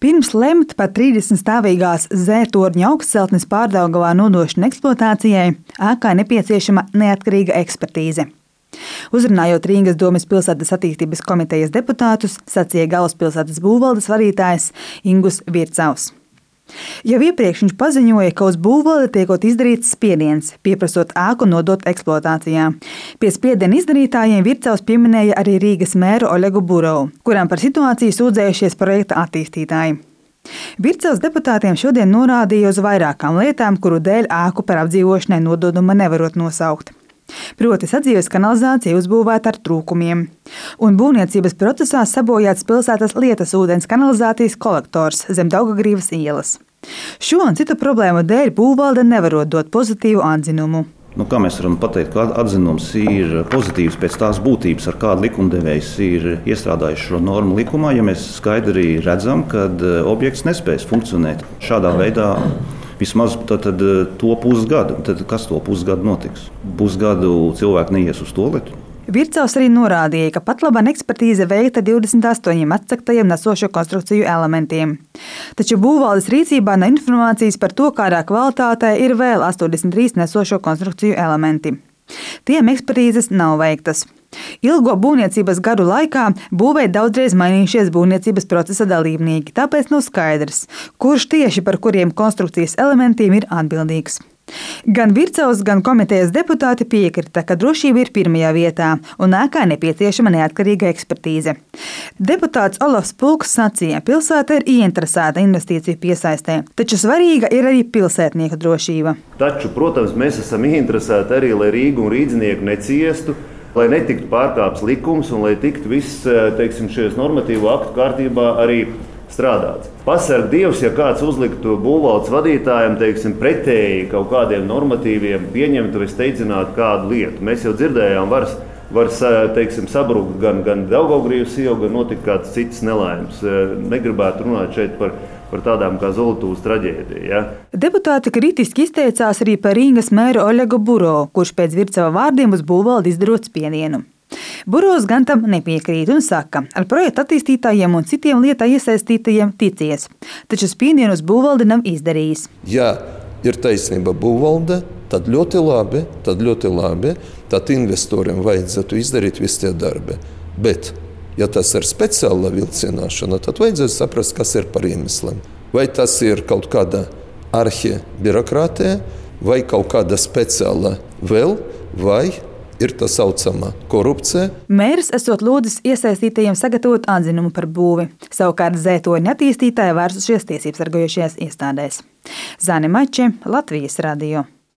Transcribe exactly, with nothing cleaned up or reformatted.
Pirms lemt par trīsdesmit stāvīgās Z-torņa augstceltnes Pārdaugavā nodošanu eksploatācijai, ēkai nepieciešama neatkarīga ekspertīze. Uzrunājot Rīgas domes pilsētas attīstības komitejas deputātus, sacīja galvaspilsētas būvvaldes vadītājs Ingus Vircavs. Jau iepriekš viņš paziņoja, ka uz būvvaldi tiekot izdarīts spiediens, pieprasot ēku nodot eksploatācijā. Pie spiediena izdarītājiem Vircavs pieminēja arī Rīgas mēru Olegu Burovu, kuram par situāciju sūdzējušies projekta attīstītāji. Vircavs deputātiem šodien norādīja uz vairākām lietām, kuru dēļ ēku par apdzīvošanai nododuma nevarot nosaukt. Proti sadzīves kanalizācija uzbūvēta ar trūkumiem, un būvniecības procesā sabojāts pilsētas lietas ūdens kanalizācijas kolektors zem Daugagrīvas ielas. Šo un citu problēmu dēļ būvvalde nevarot dot pozitīvu atzinumu. Nu, kā mēs varam pateikt, ka atzinums ir pozitīvs pēc tās būtības, ar kādu likumdevējs ir iestrādājis šo normu likumā, ja mēs skaidri redzam, ka objekts nespēs funkcionēt šādā veidā. Vismaz tad, tad, to pusgadu. Tad kas to pusgadu notiks? Pusgadu cilvēki neies uz tualeti. Vircavs arī norādīja, ka patlaban ekspertīze veikta divdesmit astoņiem atsektajiem nesošo konstrukciju elementiem. Taču būvvaldes rīcībā nav informācijas par to, kādā kvalitātē ir vēl astoņdesmit trīs nesošo konstrukciju elementi. Tiem ekspertīzes nav veiktas. Ilgo būvniecības gadu laikā būvē daudzreiz mainījušies būvniecības procesa dalībnieki, tāpēc nav skaidrs, kurš tieši par kuriem konstrukcijas elementiem ir atbildīgs. Gan Vircavs, gan komitejas deputāti piekrita, ka drošība ir pirmajā vietā un ēkai nepieciešama neatkarīga ekspertīze. Deputāts Olafs Pulks sacīja, ka pilsēta ir ieinteresēta investīciju piesaistē, taču svarīga ir arī pilsētnieku drošība. Taču, protams, mēs esam ieinteresēti arī, lai Rīga un rīdzinieki neciestu, lai netiktu pārkāpts likums un lai tiktu viss, teiksim, šajos normatīvo aktu kārtībā arī strādāts. Pasarg Dievs, ja kāds uzliktu būvvaldes vadītājiem, teiksim, pretēji kaut kādiem normatīviem pieņemtu vai steidzinātu kādu lietu. Mēs jau dzirdējām, var, var teiksim, sabrukt gan, gan Daugavgrīvas iela, gan notikt kāds cits nelaimes. Negribētu runāt šeit par par tādām kā Zolotūvas traģēdija. Ja? Deputāti kritiski izteicās arī par Rīgas mēru Olegu Burovu, kurš pēc Vircava vārdiem uz būvvaldi izdarot spiedienu. Burovs gan tam nepiekrīt un saka, ar projektu attīstītājiem un citiem lietā iesaistītajiem ticies, taču spiedienu uz būvvaldi nav izdarījis. Ja ir taisnība būvvalde, tad ļoti labi, tad ļoti labi, tad investoriem vajadzētu izdarīt visi tie darbi. Bet ja tas ir speciāla vilcināšana, tad vajadzētu saprast, kas ir par iemesliem. Vai tas ir kaut kāda arhibirokrātija, vai kaut kāda speciāla vēl, vai ir tā saucamā korupcija. Mērs esot lūdzis iesaistītajiem sagatavot atzinumu par būvi. Savukārt Z-torņa attīstītāji vērsušies tiesības sargājošajās iestādēs. Zane Mače, Latvijas radio.